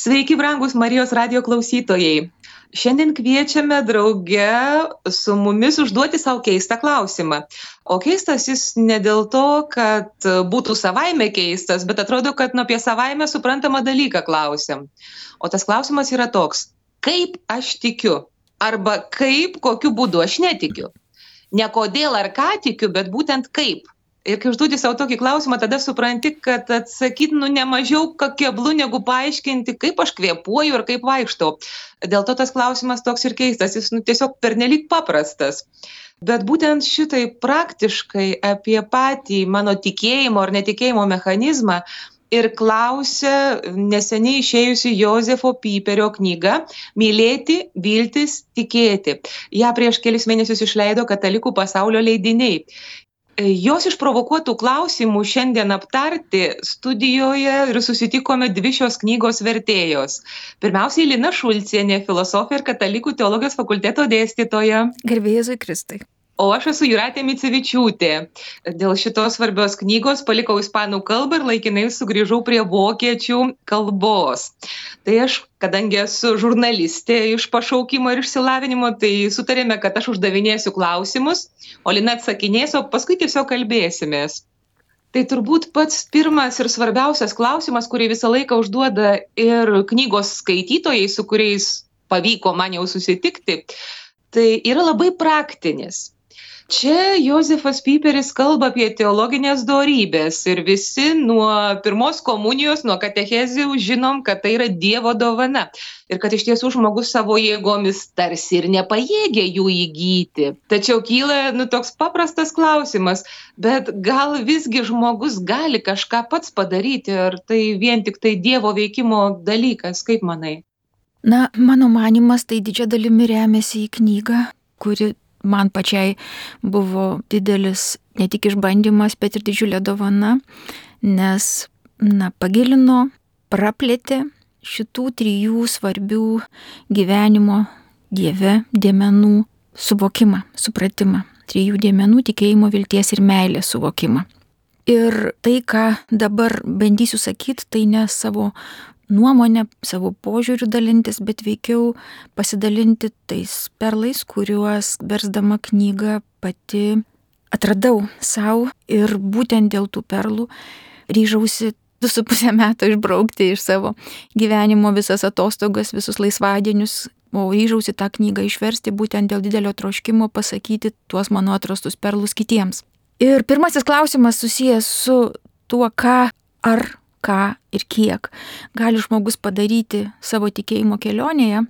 Sveiki, brangus Marijos radijo klausytojai. Šiandien kviečiame drauge su mumis užduoti savo keistą klausimą. O keistas jis ne dėl to, kad būtų savaime keistas, bet atrodo, kad apie savaime suprantamą dalyką klausim. O tas klausimas yra toks: kaip aš tikiu? Arba kokiu būdu aš netikiu? Ne kodėl ar ką tikiu, bet būtent kaip. Ir kai užduodi savo tokį klausimą, tada supranti, kad atsakyti ne mažiau keblu negu paaiškinti, kaip aš kvėpuoju ir kaip vaikštau. Dėl to tas klausimas toks ir keistas, jis tiesiog pernelyg paprastas. Bet būtent šitai praktiškai apie patį mano tikėjimo ar netikėjimo mechanizmą ir klausia neseniai išėjusi Jozefo Piperio knyga Mylėti, viltis, tikėti. Ja prieš kelis mėnesius išleido Katalikų pasaulio leidiniai. Jos išprovokuotų klausimų šiandien aptarti studijoje ir susitikome dvi šios knygos vertėjos. Pirmiausiai Lina Šulcienė, filosofė ir Katalikų teologijos fakulteto dėstytoja. Garbė Jėzui Kristui. O aš esu Jūratė Micevičiūtė. Dėl šitos svarbios knygos palikau ispanų kalbą ir laikinai sugrįžau prie vokiečių kalbos. Tai aš, kadangi esu žurnalistė iš pašaukimo ir išsilavinimo, tai sutarėme, kad aš uždavinėsiu klausimus, o Lina atsakinės, o paskui tiesiog kalbėsimės. Tai turbūt pats pirmas ir svarbiausias klausimas, kurį visą laiką užduoda ir knygos skaitytojai, su kuriais pavyko man jau susitikti, tai yra labai praktinis. Čia Jozefas Piperis kalba apie teologinės dorybės ir visi nuo pirmos komunijos, nuo katechezių žinom, kad tai yra Dievo dovana ir kad iš tiesų žmogus savo jėgomis tarsi ir nepajėgia jų įgyti. Tačiau kyla toks paprastas klausimas, bet gal visgi žmogus gali kažką pats padaryti, ar tai vien tik tai Dievo veikimo dalykas, kaip manai? Mano manymas tai didžia dalimi remiasi į knygą, kuri man pačiai buvo didelis ne tik išbandymas, bet ir didžiulė dovana, nes pagilino, praplėtė šitų trijų svarbių gyvenimo Dieve dėmenų suvokimą, supratimą. Trijų dėmenų tikėjimo, vilties ir meilės suvokimą. Ir tai, ką dabar bandysiu sakyti, tai ne savo nuomonę, savo požiūrių dalintis, bet veikiau pasidalinti tais perlais, kuriuos versdama knygą pati atradau savo ir būtent dėl tų perlų ryžausi 2,5 metų išbraukti iš savo gyvenimo visas atostogas, visus laisvadienius, o ryžausi tą knygą išversti būtent dėl didelio troškimo pasakyti tuos mano atrastus perlus kitiems. Ir pirmasis klausimas susijęs su tuo, ką ir kiek gali žmogus padaryti savo tikėjimo kelionėje,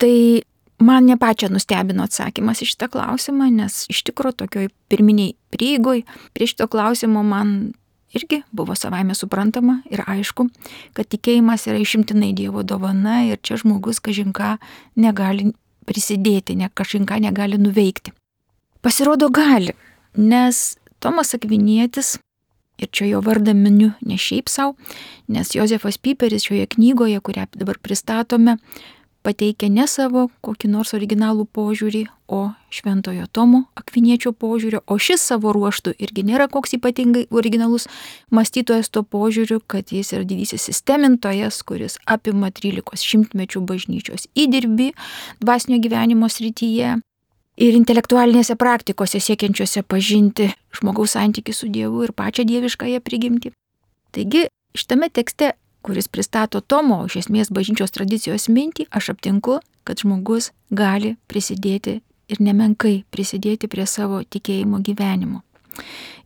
tai man ne pačią nustebino atsakymas į šitą klausimą, nes iš tikrųjų tokioj pirminiai prieigoj prie šito klausimo man irgi buvo savaime suprantama ir aišku, kad tikėjimas yra išimtinai Dievo dovana ir čia žmogus kažinką negali prisidėti, kažinką negali nuveikti. Pasirodo gali, nes Tomas Akvinietis, ir čia jo vardą miniu ne šiaip savo, nes Jozefas Piperis šioje knygoje, kurią dabar pristatome, pateikia ne savo kokį nors originalų požiūrį, o šventojo Tomo Akviniečio požiūrio, o šis savo ruožtu irgi nėra koks ypatingai originalus mąstytojas to požiūriu, kad jis yra didysis sistemintojas, kuris apima 13 šimtmečių bažnyčios įdirbį dvasinio gyvenimo srityje ir intelektualinėse praktikose siekiančiose pažinti žmogaus santykį su Dievu ir pačią dieviškąją prigimtį. Taigi, šitame tekste, kuris pristato Tomo, iš esmės bažnyčios tradicijos mintį, aš aptinku, kad žmogus gali prisidėti ir nemenkai prisidėti prie savo tikėjimo gyvenimo.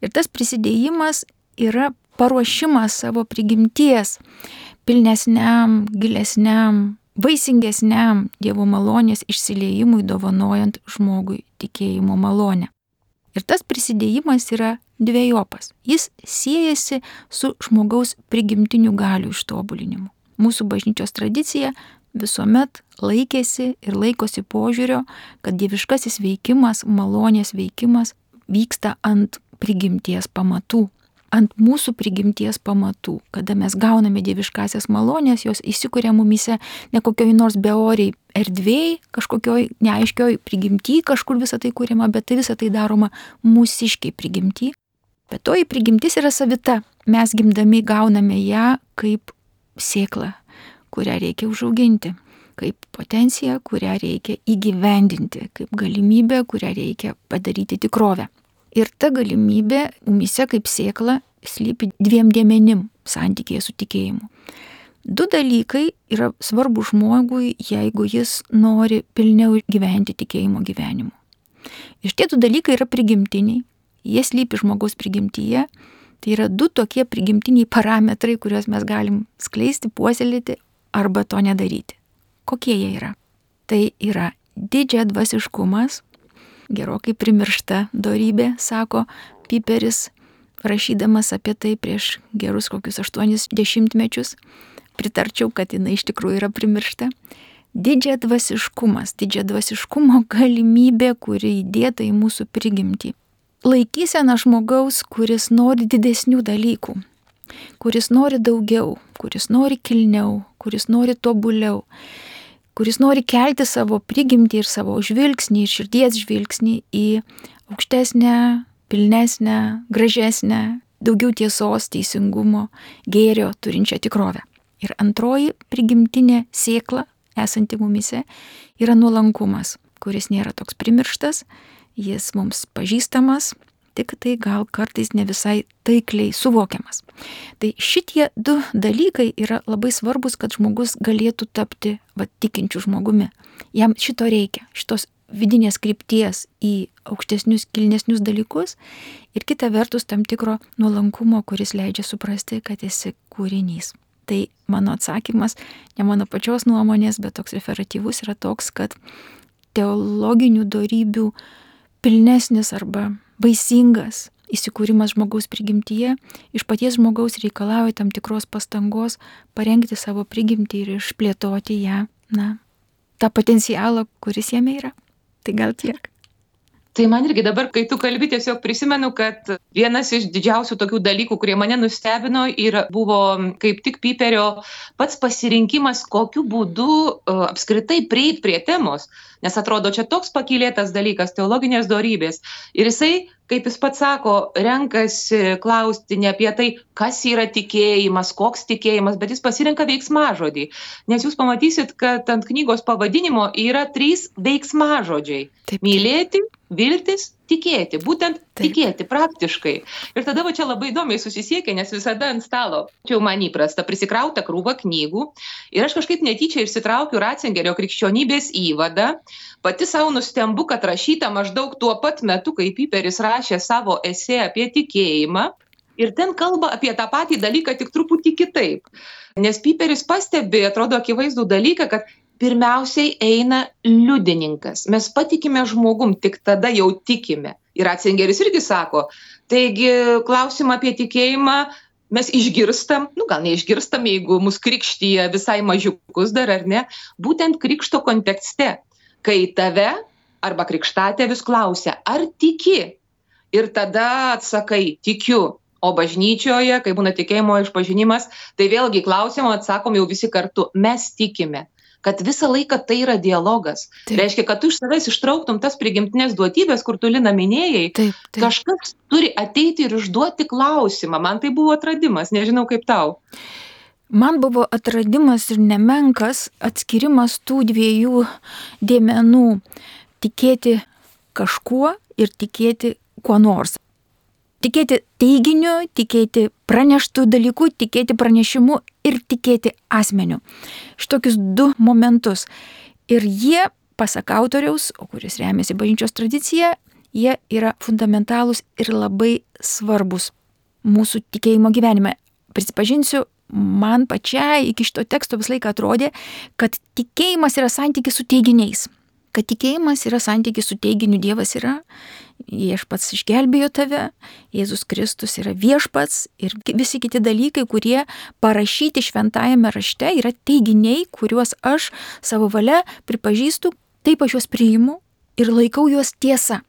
Ir tas prisidėjimas yra paruošimas savo prigimties pilnesniam, gilesniam, vaisingesniam Dievo malonės išsiliejimui, dovanojant žmogui tikėjimo malonę. Ir tas prisidėjimas yra dvejopas. Jis siejasi su žmogaus prigimtinių galių ištobulinimu. Mūsų bažnyčios tradicija visuomet laikėsi ir laikosi požiūrio, kad dieviškasis veikimas, malonės veikimas vyksta ant prigimties pamatų. Ant mūsų prigimties pamatų, kada mes gauname dieviškasias malonės, jos įsikuria mumise ne kokioj nors beoriai erdvėj, kažkokioj neaiškioj prigimty, kažkur visą tai kuriama, bet tai visą tai daroma mūsiškiai prigimty. Bet toji prigimtis yra savita. Mes gimdami gauname ją kaip sėklą, kurią reikia užauginti, kaip potenciją, kurią reikia įgyvendinti, kaip galimybę, kurią reikia padaryti tikrovę. Ir ta galimybė mumyse kaip sėkla slypi 2 dėmenim santykėje su tikėjimu. 2 dalykai yra svarbu žmogui, jeigu jis nori pilniau gyventi tikėjimo gyvenimu. Ir tie 2 dalykai yra prigimtiniai, jie slypi žmogaus prigimtyje, tai yra 2 tokie prigimtiniai parametrai, kuriuos mes galim skleisti, puoselėti arba to nedaryti. Kokie jie yra? Tai yra didžiadvasiškumas, gerokai primiršta dorybė, sako Piperis, rašydamas apie tai prieš gerus kokius 80 mečius. Pritarčiau, kad jinai iš tikrųjų yra primiršta. Didžiadvasiškumas, didžiadvasiškumo galimybė, kuri įdėta į mūsų prigimtį. Laikysena žmogaus, kuris nori didesnių dalykų, kuris nori daugiau, kuris nori kilniau, kuris nori tobuliau, kuris nori kelti savo prigimtį ir savo žvilgsnį ir širdies žvilgsnį į aukštesnę, pilnesnę, gražesnę, daugiau tiesos, teisingumo, gėrio turinčią tikrovę. Ir antroji prigimtinė sėkla, esanti mumyse, yra nuolankumas, kuris nėra toks primirštas, jis mums pažįstamas, tik tai gal kartais ne visai taikliai suvokiamas. Tai šitie 2 dalykai yra labai svarbus, kad žmogus galėtų tapti tikinčiu žmogumi. Jam šito reikia, šitos vidinės krypties į aukštesnius, kilnesnius dalykus ir kita vertus tam tikro nuolankumo, kuris leidžia suprasti, kad esi kūrinys. Tai mano atsakymas, ne mano pačios nuomonės, bet toks referatyvus yra toks, kad teologinių dorybių pilnesnis arba vaisingas įsikūrimas žmogaus prigimtyje iš paties žmogaus reikalauja tam tikros pastangos parengti savo prigimtį ir išplėtoti ją, tą potencialą, kuris jame yra. Tai gal tiek. Tai man irgi dabar, kai tu kalbi, tiesiog prisimenu, kad vienas iš didžiausių tokių dalykų, kurie mane nustebino, buvo kaip tik Piperio pats pasirinkimas, kokiu būdu apskritai prieit prie temos. Nes atrodo, čia toks pakylėtas dalykas, teologinės dorybės. Ir jisai, kaip jis pats sako, renkasi klausti ne apie tai, kas yra tikėjimas, koks tikėjimas, bet jis pasirenka veiksmažodį. Nes jūs pamatysit, kad ant knygos pavadinimo yra 3 veiksmažodžiai. Taip. Mylėti, viltis, tikėti. Būtent tikėti praktiškai. Ir tada čia labai įdomiai susisiekia, nes visada ant stalo, čia jau man įprasta, prisikrauta krūva knygų. Ir aš kažkaip netyčia išsitraukiu Ratzingerio krikščionybės įvadą. Pati savo nustembu, kad rašyta maždaug tuo pat metu, kai Piperis rašė savo esė apie tikėjimą. Ir ten kalba apie tą patį dalyką, tik truputį kitaip. Nes Piperis pastebi, atrodo, akivaizdų dalyką, kad pirmiausiai eina liudininkas. Mes patikime žmogum, tik tada jau tikime. Ir Ratzingeris irgi sako, taigi klausimą apie tikėjimą mes išgirstam, gal neišgirstam, jeigu mus krikštyja visai mažiukus dar ar ne, būtent krikšto kontekste, kai tave arba krikštatėvis klausia, ar tiki? Ir tada atsakai, tikiu. O bažnyčioje, kai būna tikėjimo išpažinimas, tai vėlgi klausimo atsakom jau visi kartu, mes tikime. Kad visą laiką tai yra dialogas. Taip. Reiškia, kad tu iš savęs ištrauktum tas prigimtinės duotybės, kur tu, Lina, minėjai, Taip. Kažkas turi ateiti ir užduoti klausimą. Man tai buvo atradimas, nežinau kaip tau. Man buvo atradimas ir nemenkas atskirimas tų 2 dėmenų - tikėti kažkuo ir tikėti kuo nors. Tikėti teiginiu, tikėti praneštų dalykų, tikėti pranešimu ir tikėti asmeniu. Šitokius 2 momentus. Ir jie, pasak autoriaus, o kuris remiasi bažnyčios tradicija, jie yra fundamentalūs ir labai svarbus mūsų tikėjimo gyvenime. Prisipažinsiu, man pačiai iki šito teksto visą laiką atrodė, kad tikėjimas yra santykis su teiginiais. Kad tikėjimas yra santykis su teiginiu, Dievas yra, viešpats išgelbėjo tave, Jėzus Kristus yra viešpats ir visi kiti dalykai, kurie parašyti šventajame rašte, yra teiginiai, kuriuos aš savo valia pripažįstu, taip aš juos priimu ir laikau juos tiesa.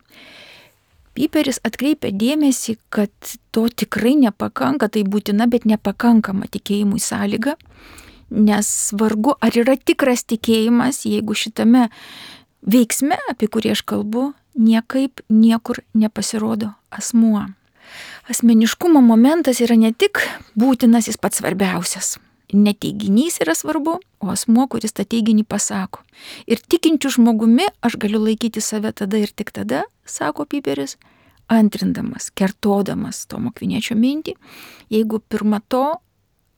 Piperis atkreipia dėmesį, kad to tikrai nepakanka, tai būtina, bet nepakankama tikėjimui sąlyga, nes vargu ar yra tikras tikėjimas, jeigu šitame veiksme, apie kurį aš kalbu, niekaip niekur nepasirodo asmuo. Asmeniškumo momentas yra ne tik būtinas, jis pats svarbiausias. ne teiginys yra svarbu, o asmuo, kuris tą teiginį pasako. Ir tikinčių žmogumi aš galiu laikyti save tada ir tik tada, sako Piperis, antrindamas, kertodamas Tomo Akviniečio mintį, jeigu pirma to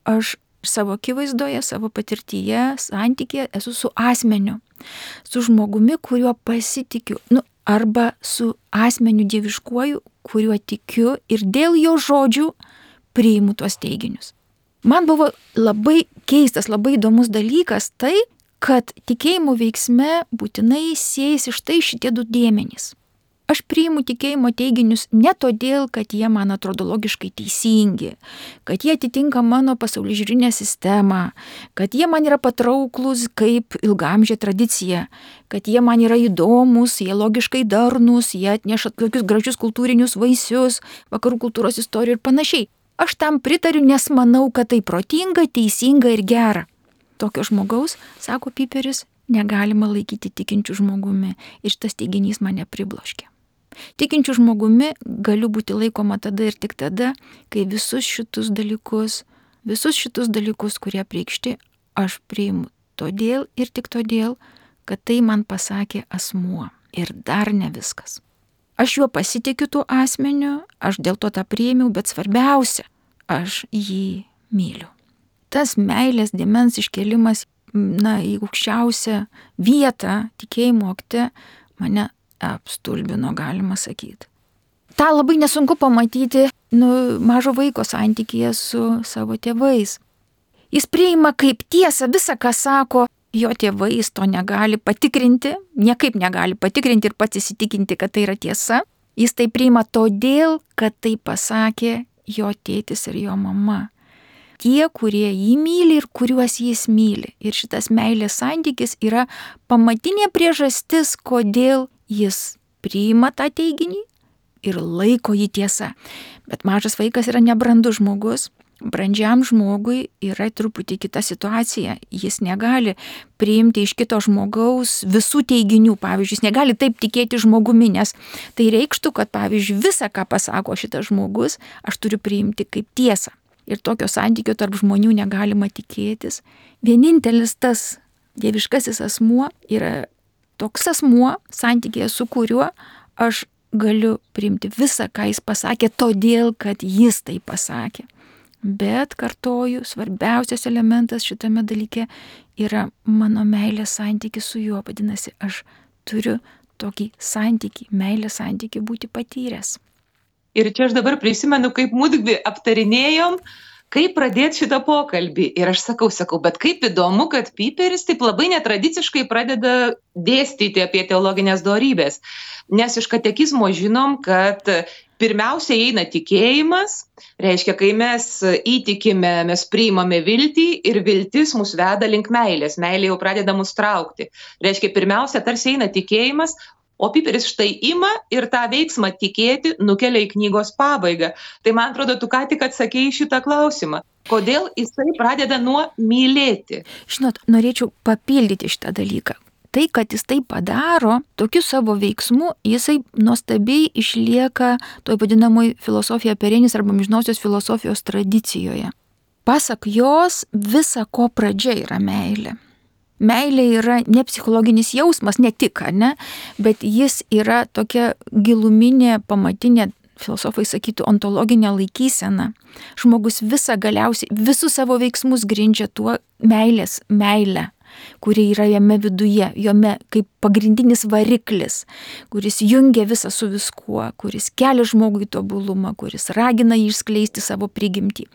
aš savo akivaizdoje, savo patirtyje, santykėje esu su asmeniu, su žmogumi, kuriuo pasitikiu, arba su asmeniu dieviškuoju, kuriuo tikiu ir dėl jo žodžių priimu tuos teiginius. Man buvo labai keistas, labai įdomus dalykas tai, kad tikėjimo veiksme būtinai siejasi štai šitie du dėmenys. Aš priimu tikėjimo teiginius ne todėl, kad jie man atrodo logiškai teisingi, kad jie atitinka mano pasaulyžiūrinę sistemą, kad jie man yra patrauklus kaip ilgamžė tradicija, kad jie man yra įdomus, jie logiškai darnus, jie atneša tokius gražius kultūrinius vaisius, vakarų kultūros istorijų ir panašiai. Aš tam pritariu, nes manau, kad tai protinga, teisinga ir gera. Tokio žmogaus, sako Piperis, negalima laikyti tikinčių žmogumi ir šitas teiginys mane pribloškė. Tikinčių žmogumi galiu būti laikoma tada ir tik tada, kai visus šitus dalykus, kurie apreikšti, aš priimu todėl ir tik todėl, kad tai man pasakė asmuo. Ir dar ne viskas. Aš juo pasitikiu tuo asmeniu, aš dėl to tą priėmiau, bet svarbiausia, aš jį myliu. Tas meilės dėmens iškėlimas, į aukščiausią vietą tikėjimo akte mane apstulbino, galima sakyti. Ta labai nesunku pamatyti mažo vaiko santykyje su savo tėvais. Jis priima kaip tiesą visą, ką sako jo tėvai, jis to negali patikrinti, niekaip negali patikrinti ir pats įsitikinti, kad tai yra tiesa. Jis tai priima todėl, kad tai pasakė jo tėtis ir jo mama. Tie, kurie jį myli ir kuriuos jis myli. Ir šitas meilės santykis yra pamatinė priežastis, kodėl jis priima tą teiginį ir laiko jį tiesa. Bet mažas vaikas yra nebrandus žmogus. Brandžiam žmogui yra truputį kita situacija. Jis negali priimti iš kito žmogaus visų teiginių. Pavyzdžiui, jis negali taip tikėti žmogumi, nes tai reikštų, kad, pavyzdžiui, visą, ką pasako šitas žmogus, aš turiu priimti kaip tiesą. Ir tokio santykio tarp žmonių negalima tikėtis. Vienintelis tas dieviškasis asmuo yra toks asmuo, santykėje su kuriuo aš galiu priimti visą, ką jis pasakė, todėl, kad jis tai pasakė. Bet, kartoju, svarbiausias elementas šitame dalyke yra mano meilės santykis su juo. Vadinasi, aš turiu tokį santykį, meilės santykį būti patyręs. Ir čia aš dabar prisimenu, kaip mudvi aptarinėjom, kaip pradėti šitą pokalbį. Ir aš sakau, bet kaip įdomu, kad Piperis taip labai netradiciškai pradeda dėstyti apie teologinės dorybės. Nes iš katekizmo žinom, kad pirmiausia eina tikėjimas, reiškia, kai mes įtikime, mes priimame viltį ir viltis mus veda link meilės. Meilė jau pradeda mus traukti. Reiškia, pirmiausia tarsi eina tikėjimas, o Piperis štai ima ir tą veiksmą tikėti nukelia į knygos pabaigą. Tai man atrodo, tu ką tik atsakei šitą klausimą. Kodėl jisai pradeda nuo mylėti? Žinot, norėčiau papildyti šitą dalyką. Tai, kad jis tai padaro, tokiu savo veiksmu, jisai nuostabiai išlieka toj vadinamoj filosofija perenis arba amžinosios filosofijos tradicijoje. Pasak jos, visa ko pradžia yra meilė. Meilė yra ne psichologinis jausmas, ne tik, bet jis yra tokia giluminė, pamatinė, filosofai sakytų, ontologinė laikysena. Žmogus visus savo veiksmus grindžia tuo meilę, kuri yra jame viduje, jame kaip pagrindinis variklis, kuris jungia visą su viskuo, kuris kelia žmogui tobulumą, kuris ragina jį išskleisti savo prigimtį.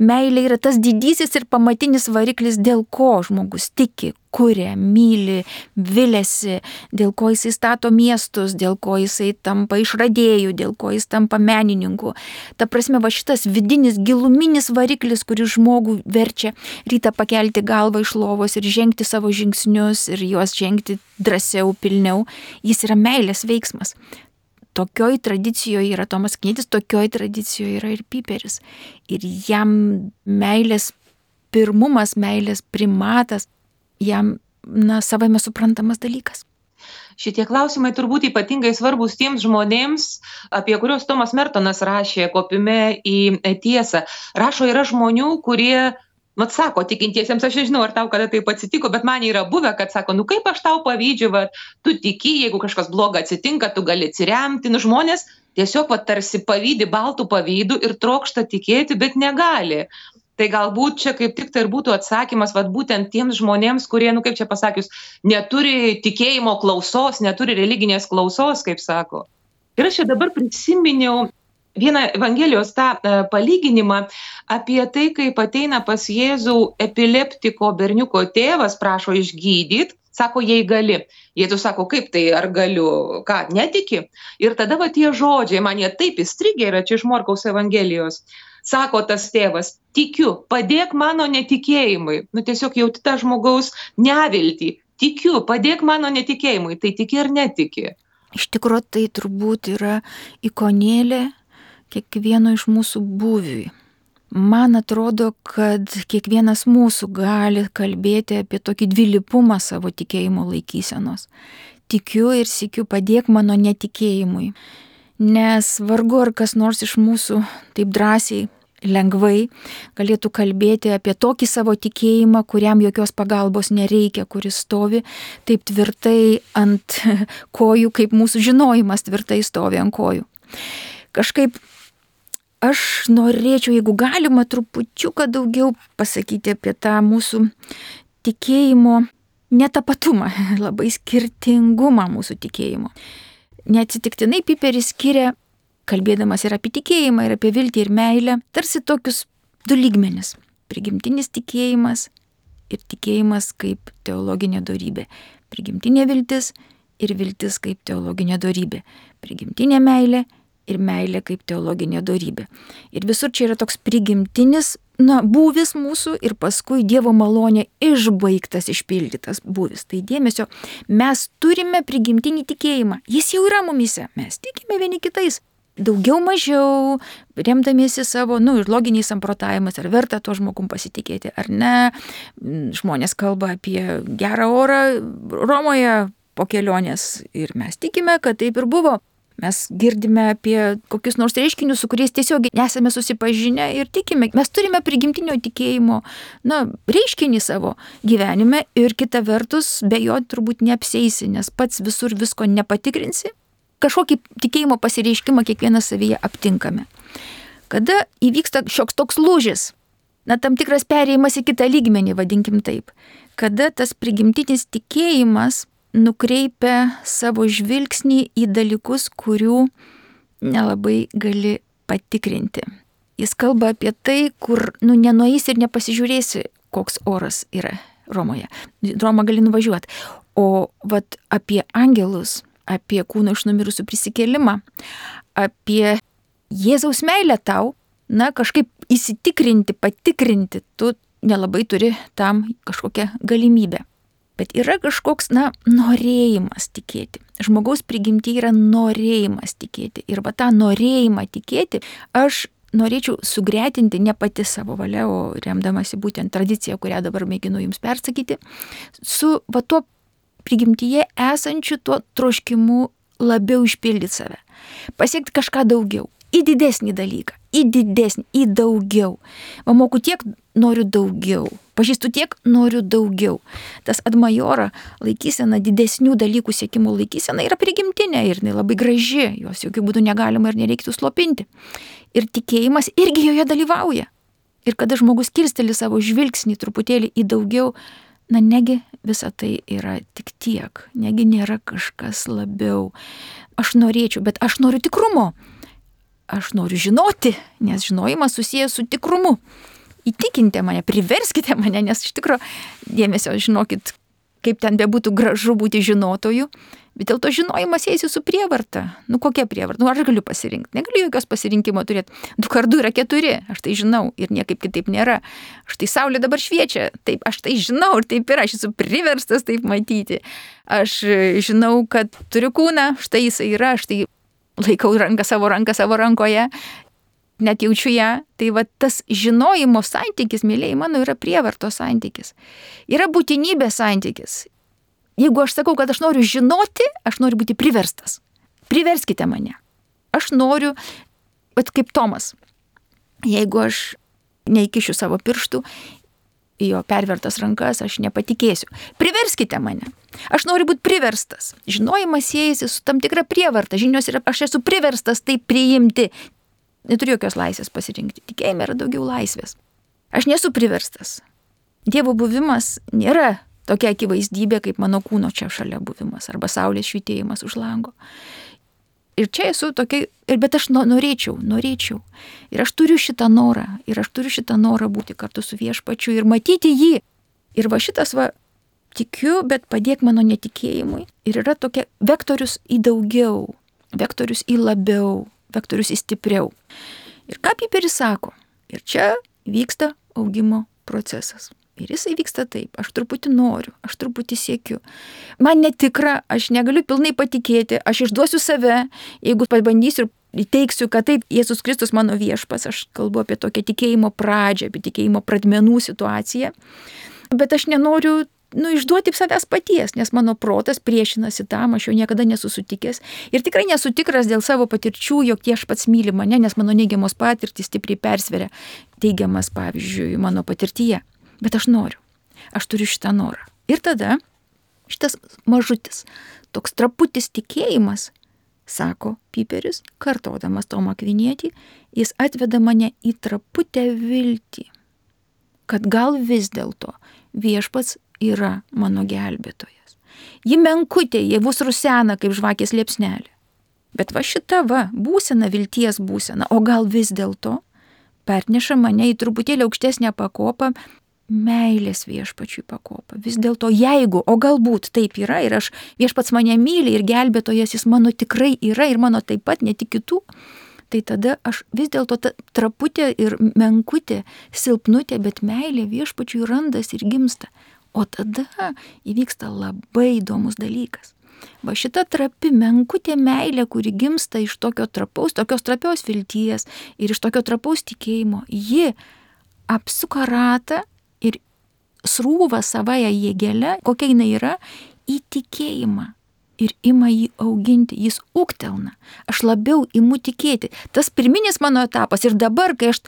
Meilė yra tas didysis ir pamatinis variklis, dėl ko žmogus tiki, kuria, myli, viliasi, dėl ko jisai stato miestus, dėl ko jisai tampa išradėjų, dėl ko jis tampa menininku. Ta prasme, šitas vidinis, giluminis variklis, kuris žmogų verčia rytą pakelti galvą iš lovos ir žengti savo žingsnius ir juos žengti drąsiau, pilniau, jis yra meilės veiksmas. Tokioj tradicijoje yra Tomas Akvinietis, tokioj tradicijoje yra ir Piperis. Ir jam meilės pirmumas, meilės primatas, jam, savame suprantamas dalykas. Šitie klausimai turbūt ypatingai svarbus tiems žmonėms, apie kuriuos Tomas Mertonas rašė Kopime į tiesą. Rašo, yra žmonių, kurie Mat sako tikintiesiems, aš nežinau, ar tau kada taip atsitiko, bet man yra buvę, kad sako, nu kaip aš tau pavydžiu, va, tu tiki, jeigu kažkas bloga atsitinka, tu gali atsiremti, nu žmonės tiesiog va, tarsi pavydi baltų pavydų ir trokšta tikėti, bet negali. Tai galbūt čia kaip tik tai ir būtų atsakymas, va, būtent tiems žmonėms, kurie, nu kaip čia pasakius, neturi tikėjimo klausos, neturi religinės klausos, kaip sako. Ir aš čia dabar prisiminiau vieną Evangelijos tą palyginimą apie tai, kaip ateina pas Jėzų epileptiko berniuko tėvas, prašo išgydyti, sako, jei gali. Jėzus sako, kaip tai, ar galiu, ką, netiki? Ir tada va tie žodžiai, man jie taip įstrigė, yra čia iš Morkaus Evangelijos. Sako tas tėvas, tikiu, padėk mano netikėjimui. Nu tiesiog jauti tą žmogaus neviltį. Tikiu, padėk mano netikėjimui. Tai tiki ar netiki? Iš tikrųjų, tai turbūt yra ikonėlė kiekvieno iš mūsų būviui. Man atrodo, kad kiekvienas mūsų gali kalbėti apie tokį dvilypumą savo tikėjimo laikysenos. Tikiu ir sykiu, padėk mano netikėjimui. Nes vargu ar kas nors iš mūsų taip drąsiai, lengvai galėtų kalbėti apie tokį savo tikėjimą, kuriam jokios pagalbos nereikia, kuris stovi taip tvirtai ant kojų, kaip mūsų žinojimas tvirtai stovi ant kojų. Kažkaip aš norėčiau, jeigu galima, trupučiuką daugiau pasakyti apie tą mūsų tikėjimo netapatumą, labai skirtingumą mūsų tikėjimo. Neatsitiktinai Piperis skiria, kalbėdamas ir apie tikėjimą, ir apie viltį, ir meilę, tarsi tokius du lygmenis. Prigimtinis tikėjimas ir tikėjimas kaip teologinė dorybė. Prigimtinė viltis ir viltis kaip teologinė dorybė. Prigimtinė meilė ir meilė kaip teologinė dorybė. Ir visur čia yra toks prigimtinis, būvis mūsų ir paskui Dievo malonė išbaigtas, išpildytas būvis. Tai dėmesio, mes turime prigimtinį tikėjimą. Jis jau yra mumise. Mes tikime vieni kitais. Daugiau mažiau, remdamiesi savo, ir loginiais samprotavimais, ar verta tuo žmogum pasitikėti, ar ne. Žmonės kalba apie gerą orą Romoje po kelionės ir mes tikime, kad taip ir buvo. Mes girdime apie kokius nors reiškinius, su kuriais tiesiog nesame susipažinę ir tikime. Mes turime prigimtinio tikėjimo, reiškinį savo gyvenime ir kita vertus, be jo turbūt neapseisi, nes pats visur visko nepatikrinsi. Kažkokį tikėjimo pasireiškimą kiekvienas savyje aptinkame. Kada įvyksta šioks toks lūžis, tam tikras perėjimas į kitą lygmenį, vadinkim taip, kada tas prigimtinis tikėjimas nukreipia savo žvilgsnį į dalykus, kurių nelabai gali patikrinti. Jis kalba apie tai, kur nenueisi ir nepasižiūrėsi, koks oras yra Romoje. Romą gali nuvažiuoti. O apie angelus, apie kūno iš numirusių prisikėlimą, apie Jėzaus meilę tau, kažkaip įsitikrinti, patikrinti, tu nelabai turi tam kažkokią galimybę. Bet yra kažkoks, norėjimas tikėti. Žmogaus prigimtyje yra norėjimas tikėti. Ir tą norėjimą tikėti aš norėčiau sugretinti ne pati savo valia, o remdamasi būtent tradiciją, kurią dabar mėginu jums persakyti, su tuo prigimtyje esančiu tuo troškimu labiau išpildyti save. Pasiekti kažką daugiau. Į didesnį dalyką. Į didesnį, į daugiau. Moku tiek, noriu daugiau. Pažįstu tiek, noriu daugiau. Tas ad majora laikysena, didesnių dalykų siekimo laikysena yra prigimtinė ir labai graži. Jos jokių būdų negalima ir nereiktų slopinti. Ir tikėjimas irgi joje dalyvauja. Ir kada žmogus kilsteli savo žvilgsnį truputėlį į daugiau, negi visa tai yra tik tiek. Negi nėra kažkas labiau. Aš norėčiau, bet aš noriu tikrumo. Aš noriu žinoti, nes žinojimas susijęs su tikrumu. Įtikinkite mane, priverskite mane, nes iš tikrųjų, dėmesio, žinokit, kaip ten bebūtų gražu būti žinotoju, bet dėl to žinojimas siejasi su prievarta. Kokia prievarta? Ar aš galiu pasirinkti? Negaliu jokios pasirinkimo turėti. 2x2 yra 4, aš tai žinau ir niekaip kitaip nėra. Štai saulė dabar šviečia, taip, aš tai žinau ir taip yra, aš esu priverstas taip matyti. Aš žinau, kad turiu kūną, štai jisai yra, aš tai laikau savo ranką savo rankoje, net jaučiu ją. Tai tas žinojimo santykis, mėlyjei mano, yra prievartos santykis. Yra būtinybės santykis. Jeigu aš sakau, kad aš noriu žinoti, aš noriu būti priverstas. Priverskite mane. Aš noriu, kaip Tomas. Jeigu aš neįkišiu savo pirštų į jo pervertas rankas, aš nepatikėsiu. Priverskite mane. Aš noriu būti priverstas. Žinojimas siejasi su tam tikra prievarta. Žinios yra, aš esu priverstas tai priimti. Neturiu jokios laisvės pasirinkti. Tikėjime yra daugiau laisvės. Aš nesu priverstas. Dievo buvimas nėra tokia akivaizdybė, kaip mano kūno čia šalia buvimas arba saulės švytėjimas už lango. Ir čia esu tokia, bet aš norėčiau. Ir aš turiu šitą norą būti kartu su Viešpačiu ir matyti jį. Ir va šitas tikiu, bet padėk mano netikėjimui. Ir yra tokia vektorius į daugiau, vektorius į labiau, vektorius į stipriau. Ir ką Piperis sako? Ir čia vyksta augimo procesas. Ir jisai vyksta taip, aš truputį noriu, aš truputį siekiu. Man netikra, aš negaliu pilnai patikėti, aš išduosiu save, jeigu pabandysiu ir įteiksiu, kad taip, Jėzus Kristus mano viešpas, aš kalbu apie tokią tikėjimo pradžią, apie tikėjimo pradmenų situaciją. Bet aš nenoriu išduoti savęs paties, nes mano protas priešinasi tam, aš jo niekada nesu sutikęs. Ir tikrai nesu tikras dėl savo patirčių, jog tie aš pats myli mane, nes mano neigiamos patirtys stipriai persveria teigiamas, pavyzdžiui, mano patirtyje. Bet aš noriu. Aš turiu šitą norą. Ir tada šitas mažutis, toks traputis tikėjimas, sako Piperis, kartodamas Tomą Akvinietį, jis atveda mane į traputę viltį, kad gal vis dėlto Viešpats yra mano gelbėtojas. Ji menkutė, jie bus rusena kaip žvakės liepsnelė. Bet va šita būsena, vilties būsena, o gal vis dėlto perneša mane į truputėlį aukštesnę pakopą, meilės Viešpačiui pakopą. Vis dėlto jeigu, o galbūt taip yra ir aš Viešpats mane myli ir gelbėtojas jis mano tikrai yra ir mano taip pat, ne tik kitų, tai tada aš vis dėlto traputė ir menkutė, silpnutė, bet meilė Viešpačiui randas ir gimsta. O tada įvyksta labai įdomus dalykas. Va šita trapi menkutė meilė, kuri gimsta iš tokios trapios vilties ir iš tokio trapaus tikėjimo, ji apsuka ratą ir srūva savąją jėgelę, kokia jinai yra, į tikėjimą ir ima jį auginti, jis ūgtelna. Aš labiau imu tikėti. Tas pirminis mano etapas ir dabar, kai aš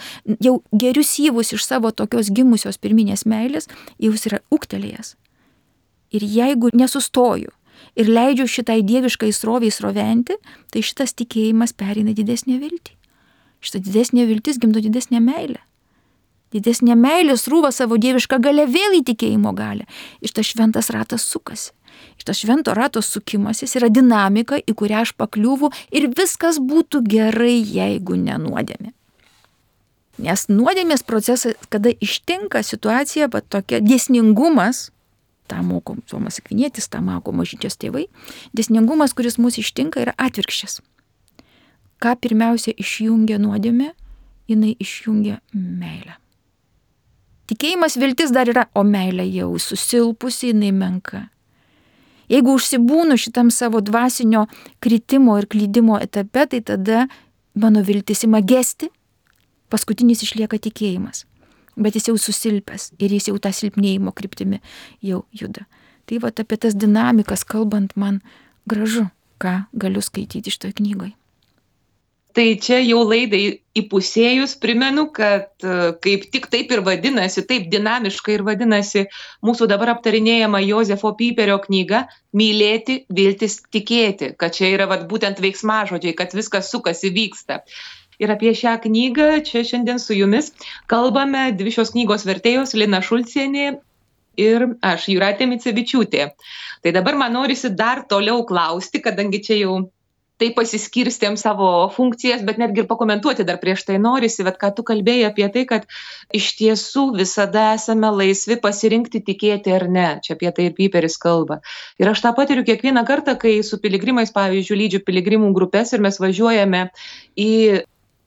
jau geriu syvus iš savo tokios gimusios pirminės meilės, jau jis yra ūgtelėjęs. Ir jeigu nesustoju ir leidžiu šitai dieviškai sroviai sroventi, tai šitas tikėjimas pereina didesnę viltį. Šita didesnė viltis gimdo didesnę meilę. Didesnė meilė srūva savo dievišką galę vėl į tikėjimo galę. Ir tas šventas ratas sukasi. Ir tas švento rato sukimasis yra dinamika, į kurią aš pakliūvu ir viskas būtų gerai, jeigu ne nuodėmė. Nes nuodėmės procesas, kada ištinka situacija, bet tokia dėsningumas, tą moko Tomas Akvinietis, tą moko Mažyčios tėvai, dėsningumas, kuris mūsų ištinka, yra atvirkščias. Ką pirmiausia išjungia nuodėmė, jinai išjungia meilę. Tikėjimas viltis dar yra, o meilė jau susilpusi, jinai menka. Jeigu užsibūnu šitam savo dvasinio kritimo ir klydimo etape, tai tada mano viltis ima gesti, paskutinis išlieka tikėjimas. Bet jis jau susilpęs ir jis jau tą silpnėjimo kryptimi jau juda. Tai apie tas dinamikas kalbant man gražu, ką galiu skaityti šitoje knygoje. Tai čia jau laidai įpusėjus primenu, kad kaip tik taip ir vadinasi, taip dinamiškai ir vadinasi mūsų dabar aptarinėjama Jozefo Piperio knyga Mylėti, viltis, tikėti, kad čia yra būtent veiksmažodžiai, kad viskas sukasi, vyksta. Ir apie šią knygą čia šiandien su jumis kalbame dvi šios knygos vertėjos Lina Šulcienė ir aš, Jūratė Micevičiūtė. Tai dabar man norisi dar toliau klausti, kadangi čia jau tai pasiskirstėm savo funkcijas, bet netgi ir pakomentuoti dar prieš tai norisi, bet ką tu kalbėjai apie tai, kad iš tiesų visada esame laisvi pasirinkti tikėti ar ne. Čia apie tai ir Piperis kalba. Ir aš tą patiriu kiekvieną kartą, kai su piligrimais, pavyzdžiui, lydžiu piligrimų grupės ir mes važiuojame į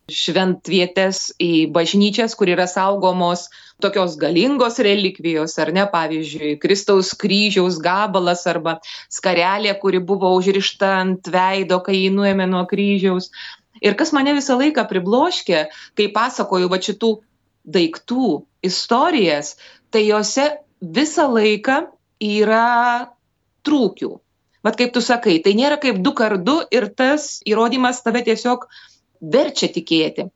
šventvietes, į bažnyčias, kur yra saugomos tokios galingos relikvijos, ar ne, pavyzdžiui, Kristaus kryžiaus gabalas arba skarelė, kuri buvo užrišta ant veido, kai jį nuėmė nuo kryžiaus. Ir kas mane visą laiką pribloškė, kai pasakoju šitų daiktų istorijas, tai jose visą laiką yra trūkių. Vat kaip tu sakai, tai nėra kaip 2x2 ir tas įrodymas tave tiesiog verčia tikėti.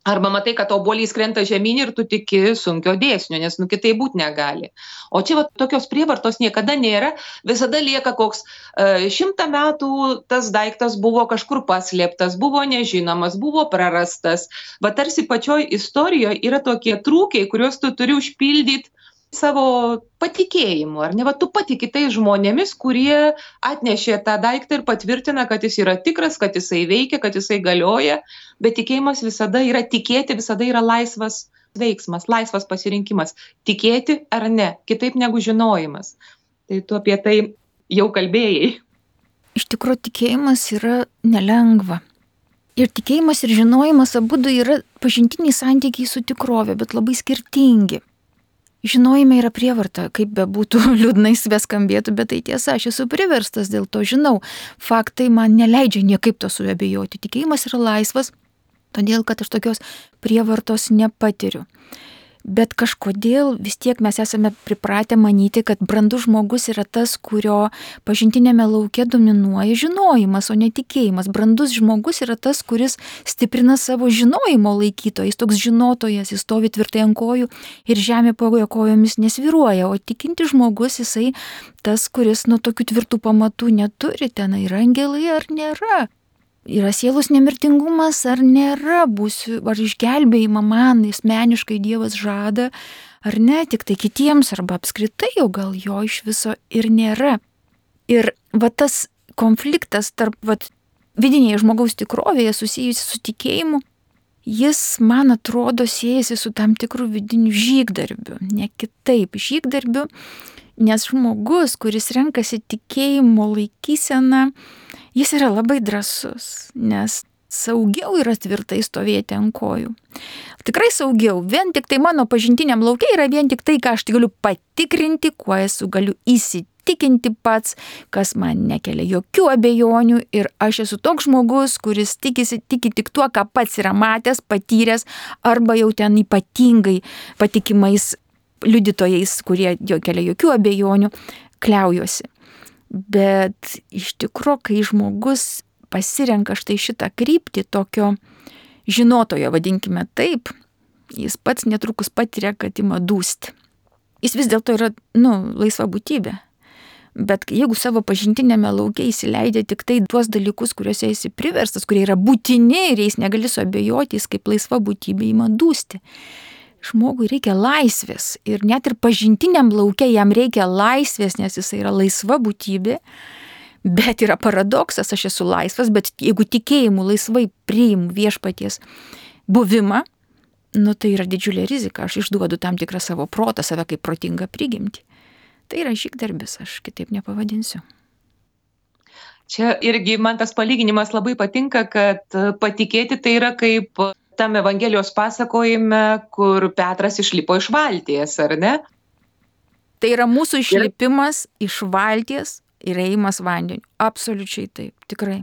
Arba matai, kad obuolys krenta žemyn ir tu tiki sunkio dėsnio, nes kitaip būt negali. O čia tokios prievartos niekada nėra, visada lieka koks 100 metų tas daiktas buvo kažkur paslėptas, buvo nežinomas, buvo prarastas. Va tarsi pačioj istorijoje yra tokie trūkiai, kuriuos tu turi užpildyti savo patikėjimu, ar ne? Va tu patiki tais žmonėmis, kurie atnešė tą daiktą ir patvirtina, kad jis yra tikras, kad jisai veikia, kad jisai galioja, bet tikėjimas visada yra, tikėti visada yra laisvas veiksmas, laisvas pasirinkimas. Tikėti ar ne, kitaip negu žinojimas. Tai tu apie tai jau kalbėjai. Iš tikrųjų, tikėjimas yra nelengva. Ir tikėjimas ir žinojimas abudu yra pažintiniai santykiai su tikrove, bet labai skirtingi. Žinojime yra prievarta, kaip bebūtų liūdnai beskambėtų, bet tai tiesa, aš esu priverstas, dėl to žinau. Faktai man neleidžia niekaip to suabejoti. Tikėjimas yra laisvas, todėl kad aš tokios prievartos nepatiriu. Bet kažkodėl vis tiek mes esame pripratę manyti, kad brandus žmogus yra tas, kurio pažintinėme lauke dominuoja žinojimas, o ne tikėjimas. Brandus žmogus yra tas, kuris stiprina savo žinojimo laikytoją. Jis toks žinotojas, jis stovi tvirtai ant kojų ir žemė po jo kojomis nesvyruoja. O tikinti žmogus, jisai tas, kuris nuo tokių tvirtų pamatų neturi, ten yra angelai ar nėra. Yra sielos nemirtingumas ar nėra, būsiu, ar išgelbėjimą man asmeniškai Dievas žada, ar ne, tik tai kitiems, arba apskritai jau gal jo iš viso ir nėra. Ir va tas konfliktas tarp vidinėje žmogaus tikrovėje susijusi su tikėjimu, jis, man atrodo, siejasi su tam tikru vidiniu žygdarbiu, ne kitaip žygdarbiu, nes žmogus, kuris renkasi tikėjimo laikyseną, jis yra labai drąsus, nes saugiau yra tvirtai stovėti ant kojų. Tikrai saugiau, vien tik tai mano pažintiniam lauke yra vien tik tai, ką aš galiu patikrinti, kuo esu galiu įsitikinti pats, kas man nekelia jokių abejonių ir aš esu toks žmogus, kuris tiki tik tuo, ką pats yra matęs, patyręs arba jau ten ypatingai patikimais liudytojais, kurie jo kelia jokių abejonių, kliaujuosi. Bet iš tikrųjų, kai žmogus pasirenka štai šitą kryptį tokio žinotojo, vadinkime taip, jis pats netrukus patiria, kad ima dūsti. Jis vis dėlto yra, laisva būtybė. Bet jeigu savo pažintinėme lauke įsileidžia tik tai tuos dalykus, kuriuose esi priverstas, kurie yra būtini ir jais negali suabejoti, jis kaip laisva būtybė ima dūsti. Žmogui reikia laisvės ir net ir pažintiniam lauke jam reikia laisvės, nes jis yra laisva būtybė, bet yra paradoksas, aš esu laisvas, bet jeigu tikėjimu laisvai priimu viešpaties buvimą, tai yra didžiulė rizika, aš išduodu tam tikrą savo protą, save kaip protingą prigimtį. Tai yra žygdarbis, aš kitaip nepavadinsiu. Čia irgi man tas palyginimas labai patinka, kad patikėti tai yra kaip tam Evangelijos pasakojime, kur Petras išlipo iš valties, ar ne? Tai yra mūsų išlipimas iš valties ir ėjimas vandeniu. Absoliučiai taip, tikrai.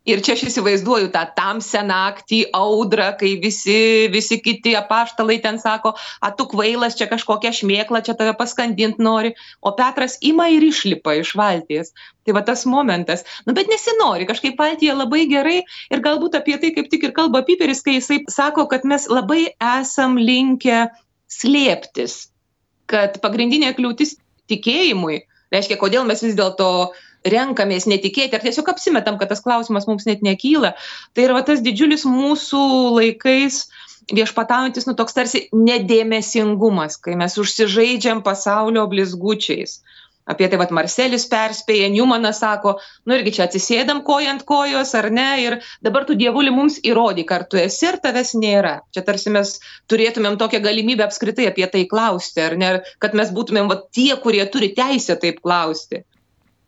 Ir čia aš įsivaizduoju tą tamsią naktį, audrą, kai visi kiti apaštalai ten sako, tu kvailas, čia kažkokia šmėkla, čia tave paskandint nori, o Petras ima ir išlipa iš valties. Tai va tas momentas. Bet nesinori, kažkaip valtyje labai gerai ir galbūt apie tai kaip tik ir kalba Piperis, kai jisai sako, kad mes labai esam linkę slėptis, kad pagrindinė kliūtis tikėjimui, reiškia, kodėl mes vis dėlto renkamės netikėti, ar tiesiog apsimetam, kad tas klausimas mums net nekyla. Tai yra tas didžiulis mūsų laikais viešpataujantis, toks tarsi nedėmesingumas, kai mes užsižaidžiam pasaulio blizgučiais. Apie tai Marselis perspėja, Newmanas sako, irgi čia atsisėdam koja ant kojos, ar ne, ir dabar tu dievuli mums įrodyk, ar tu esi, ar tavęs nėra. Čia tarsi mes turėtumėm tokią galimybę apskritai apie tai klausti, ar ne, kad mes būtumėm tie, kurie turi teisę taip klausti.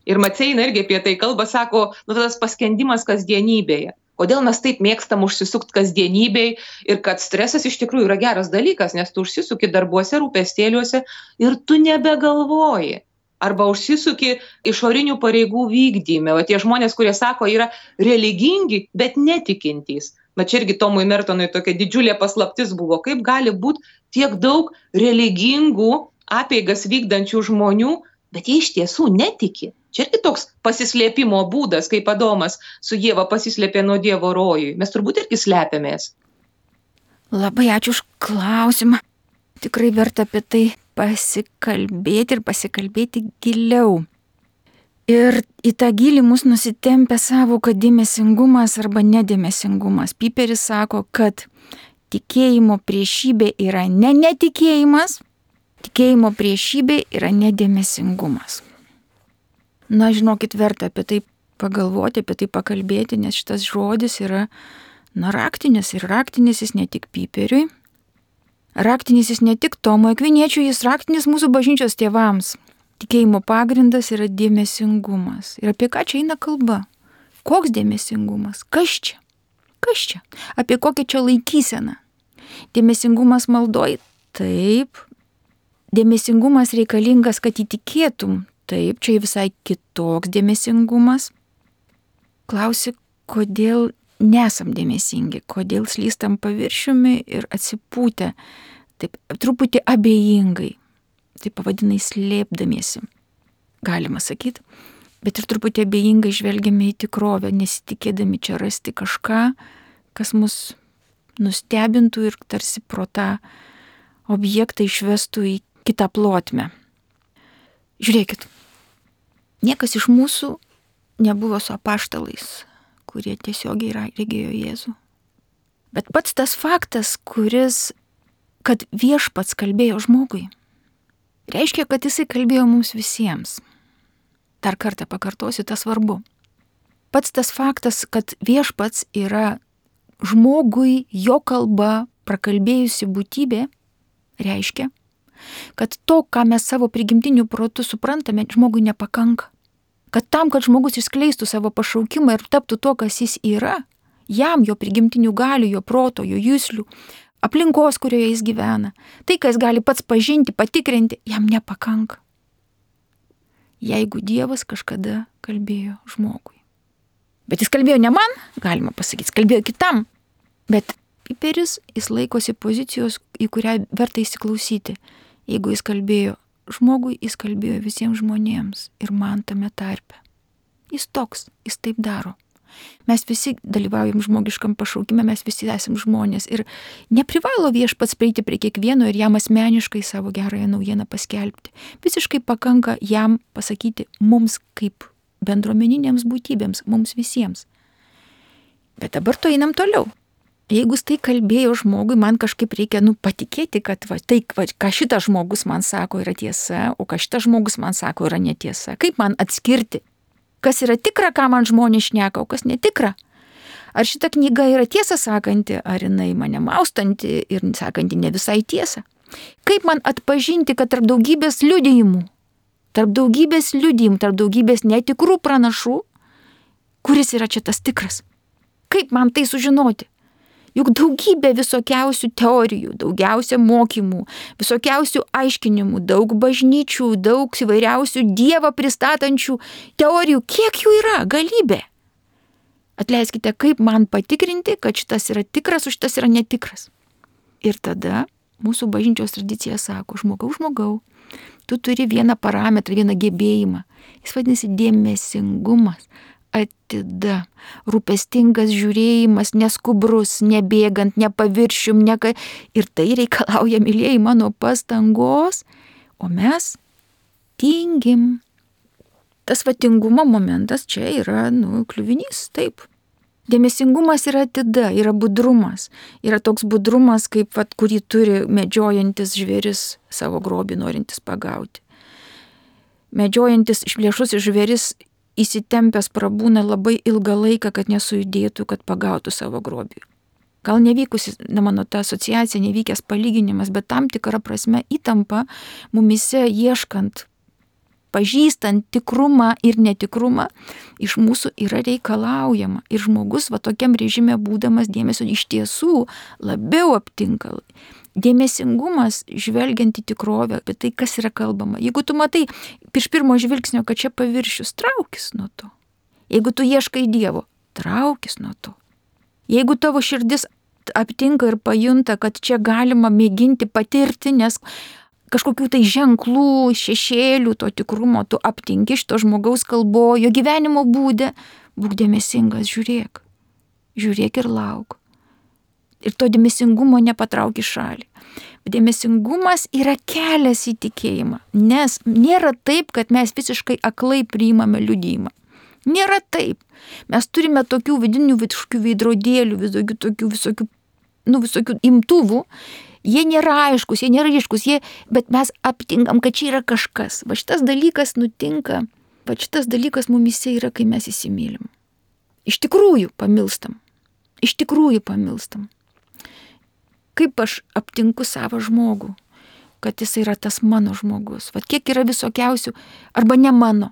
Ir Maceina irgi apie tai kalba, sako, tas paskendimas kasdienybėje. Kodėl mes taip mėgstam užsisukti kasdienybėje ir kad stresas iš tikrųjų yra geras dalykas, nes tu užsisuki darbuose, rūpestėliuose ir tu nebegalvoji. Arba užsisuki išorinių pareigų vykdyme. O tie žmonės, kurie sako, yra religingi, bet netikintys. Bet čia irgi Tomui Mertonui tokia didžiulė paslaptis buvo, kaip gali būti tiek daug religingų apeigas vykdančių žmonių, bet jie iš tiesų netiki. Čia irgi toks pasislėpimo būdas, kaip Adomas su Ieva pasislėpė nuo Dievo rojui. Mes turbūt irgi slepiamės. Labai ačiū už klausimą. Tikrai verta apie tai pasikalbėti ir pasikalbėti giliau. Ir į tą gilį mus nusitempia savoka dėmesingumas arba nedėmesingumas. Piperis sako, kad tikėjimo priešybė yra ne netikėjimas, tikėjimo priešybė yra nedėmesingumas. Na, žinokit, verta apie tai pagalvoti, apie tai pakalbėti, nes šitas žodis yra, raktinis. Ir raktinis jis ne tik Piperiui, raktinis jis ne tik Tomui Akviniečiui, jis raktinis mūsų bažnyčios tėvams. Tikėjimo pagrindas yra dėmesingumas. Ir apie ką čia eina kalba? Koks dėmesingumas? Kas čia? Kas čia? Apie kokią čia laikyseną? Dėmesingumas maldoj? Taip. Dėmesingumas reikalingas, kad įtikėtum. Taip, čia visai kitoks dėmesingumas. Klausi, kodėl nesam dėmesingi, kodėl slystam paviršiumi ir atsipūtę, taip truputį abejingai. Tai pavadinai slėpdamiesi, galima sakyti, bet ir truputį abejingai žvelgiame į tikrovę, nesitikėdami čia rasti kažką, kas mus nustebintų ir tarsi pro tą objektą išvestų į kitą plotmę. Žiūrėkit, niekas iš mūsų nebuvo su apaštalais, kurie tiesiogiai regėjo Jėzų. Bet pats tas faktas, kad viešpats kalbėjo žmogui, reiškia, kad jisai kalbėjo mums visiems. Dar kartą pakartosiu, tas svarbu. Pats tas faktas, kad viešpats yra žmogui jo kalba prakalbėjusi būtybė, reiškia, kad to, ką mes savo prigimtiniu protu suprantame, žmogui nepakanka. Kad tam, kad žmogus išskleistų savo pašaukimą ir taptų to, kas jis yra, jam jo prigimtinių galių, jo proto, jo juslių, aplinkos, kurioje jis gyvena, tai, ką jis gali pats pažinti, patikrinti, jam nepakanka. Jeigu Dievas kažkada kalbėjo žmogui. Bet jis kalbėjo ne man, galima pasakyti, jis kalbėjo kitam. Bet Piperis, jis laikosi pozicijos, į kurią verta įsiklausyti. Jeigu jis kalbėjo žmogui, jis kalbėjo visiems žmonėms ir man tame tarpe. Jis toks, jis taip daro. Mes visi dalyvaujam žmogiškam pašaukime, mes visi esam žmonės ir neprivalo viešpats prieiti prie kiekvieno ir jam asmeniškai savo gerąją naujieną paskelbti. Visiškai pakanka jam pasakyti mums kaip bendruomeninėms būtybėms, mums visiems. Bet dabar to einam toliau. Jeigu jis tai kalbėjo žmogui, man kažkaip reikia patikėti, kad ką šitas žmogus man sako yra tiesa, o ką šitas žmogus man sako yra netiesa. Kaip man atskirti? Kas yra tikra, ką man žmonės šneka, o kas netikra? Ar šita knyga yra tiesą sakanti, ar jinai mane maustanti ir sakanti ne visai tiesą? Kaip man atpažinti, kad tarp daugybės liudijimų, tarp daugybės netikrų pranašų, kuris yra čia tas tikras? Kaip man tai sužinoti? Juk daugybė visokiausių teorijų, daugiausia mokymų, visokiausių aiškinimų, daug bažnyčių, daug įvairiausių Dievą pristatančių teorijų. Kiek jų yra? Galybė. Atleiskite, kaip man patikrinti, kad šitas yra tikras, o šitas yra netikras. Ir tada mūsų bažnyčios tradicija sako, žmogau, tu turi vieną parametrą, vieną gebėjimą. Jis vadinasi dėmesingumas. Atida, rūpestingas žiūrėjimas, neskubrus, nebėgant, nepaviršium, ir tai reikalauja, mylėjai, mano pastangos, o mes tingim. Tas tingumo momentas čia yra, kliuvinys, taip. Dėmesingumas yra atida, yra budrumas. Yra toks budrumas, kaip kurį turi medžiojantis žvėris savo grobį norintis pagauti. Medžiojantis išplėšus žvėris įsitempęs prabūna labai ilgą laiką, kad nesujudėtų, kad pagautų savo grobį. Gal nevykusi, mano ta asociacija, nevykęs palyginimas, bet tam tikra prasme įtampa mumise ieškant, pažįstant tikrumą ir netikrumą, iš mūsų yra reikalaujama. Ir žmogus tokiam režime būdamas dėmesio iš tiesų labiau aptinka. Dėmesingumas, žvelgiant į tikrovę, apie tai, kas yra kalbama. Jeigu tu matai iš pirmo žvilgsnio, kad čia paviršius, traukis nuo to. Jeigu tu ieškai Dievo, traukis nuo to. Jeigu tavo širdis aptinka ir pajunta, kad čia galima mėginti patirti, nes kažkokių tai ženklų, šešėlių, to tikrumo, tu aptinki šito žmogaus kalbojo gyvenimo būde, būk dėmesingas, žiūrėk ir lauk. Ir to dėmesingumo nepatrauki šalį. Dėmesingumas yra kelias į tikėjimą, nes nėra taip, kad mes visiškai aklai priimame liudijimą. Nėra taip. Mes turime tokių vidinių veidrodėlių, visokių imtuvų. Jie nėra aiškus, jie nėra ryškus, bet mes aptinkam, kad čia yra kažkas. Va šitas dalykas nutinka, va šitas dalykas mumise yra, kai mes įsimylim. Iš tikrųjų pamilstam. Kaip aš aptinku savo žmogų, kad jis yra tas mano žmogus. Vat kiek yra visokiausių, arba ne mano.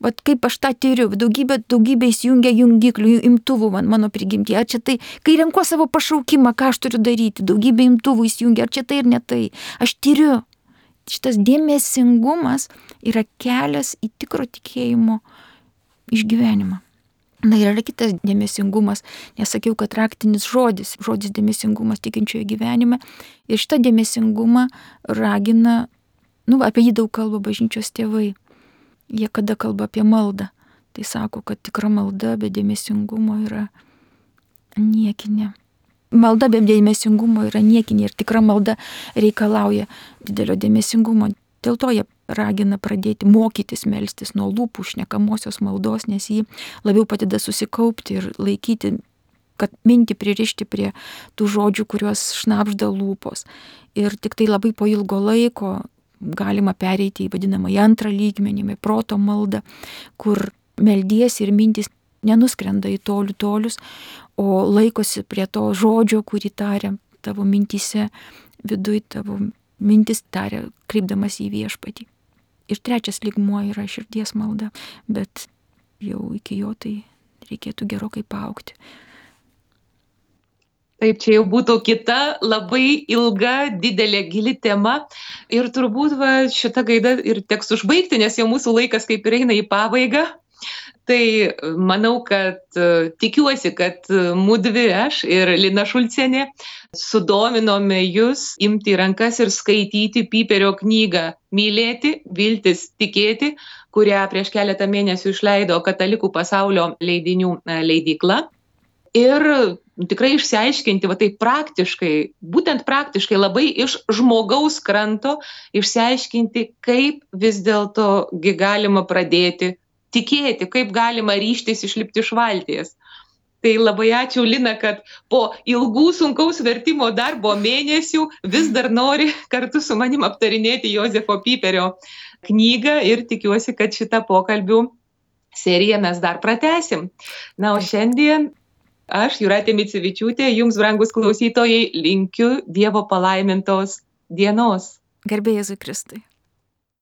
Vat kaip aš tą tyriu, daugybė įsijungia jungiklių, imtuvų mano prigimtį. Ar čia tai, kai renku savo pašaukimą, ką aš turiu daryti, daugybė imtuvų įsijungia, ar čia tai ir ne tai. Aš tyriu. Šitas dėmesingumas yra kelias į tikro tikėjimo išgyvenimą. Na ir yra kitas dėmesingumas, nesakiau, kad raktinis žodis dėmesingumas tikinčiojo gyvenime. Ir šitą dėmesingumą ragina, apie jį daug kalba bažnyčios tėvai. Jie kada kalba apie maldą, tai sako, kad tikra malda be dėmesingumo yra niekinė. Malda be dėmesingumo yra niekinė ir tikra malda reikalauja didelio dėmesingumo. Dėl to jie ragina pradėti mokytis melstis nuo lūpų šnekamosios maldos, nes jį labiau padeda susikaupti ir laikyti, kad mintį pririšti prie tų žodžių, kuriuos šnabžda lūpos. Ir tik tai labai po ilgo laiko galima pereiti į vadinamą antrą lygmenį, proto maldą, kur meldiesi ir mintys nenuskrenda į tolius, o laikosi prie to žodžio, kurį taria tavo mintyse, viduj tavo mintis taria, kreipdamas į viešpatį. Ir trečias lygmuo yra širdies malda, bet jau iki jo tai reikėtų gerokai paaugti. Taip, čia jau būtų kita labai ilga, didelė, gili tema ir turbūt šitą gaidą ir teks užbaigti, nes jau mūsų laikas kaip ir eina į pabaigą. Tai manau, kad tikiuosi, kad mudvi, aš ir Lina Šulcienė, sudominome jūs imti į rankas ir skaityti Piperio knygą Mylėti, viltis, tikėti, kurią prieš keletą mėnesių išleido Katalikų pasaulio leidinių leidykla. Ir tikrai išsiaiškinti, taip būtent praktiškai labai iš žmogaus kranto išsiaiškinti, kaip vis dėlto galima pradėti tikėti, kaip galima ryžtis išlipti iš valties. Tai labai ačiū, Lina, kad po ilgų sunkaus vertimo darbo mėnesių vis dar nori kartu su manim aptarinėti Jozefo Piperio knygą ir tikiuosi, kad šitą pokalbių seriją mes dar pratęsim. Na, o šiandien aš, Jūratė Micevičiūtė, jums, brangus klausytojai, linkiu Dievo palaimintos dienos. Garbė Jėzui Kristui.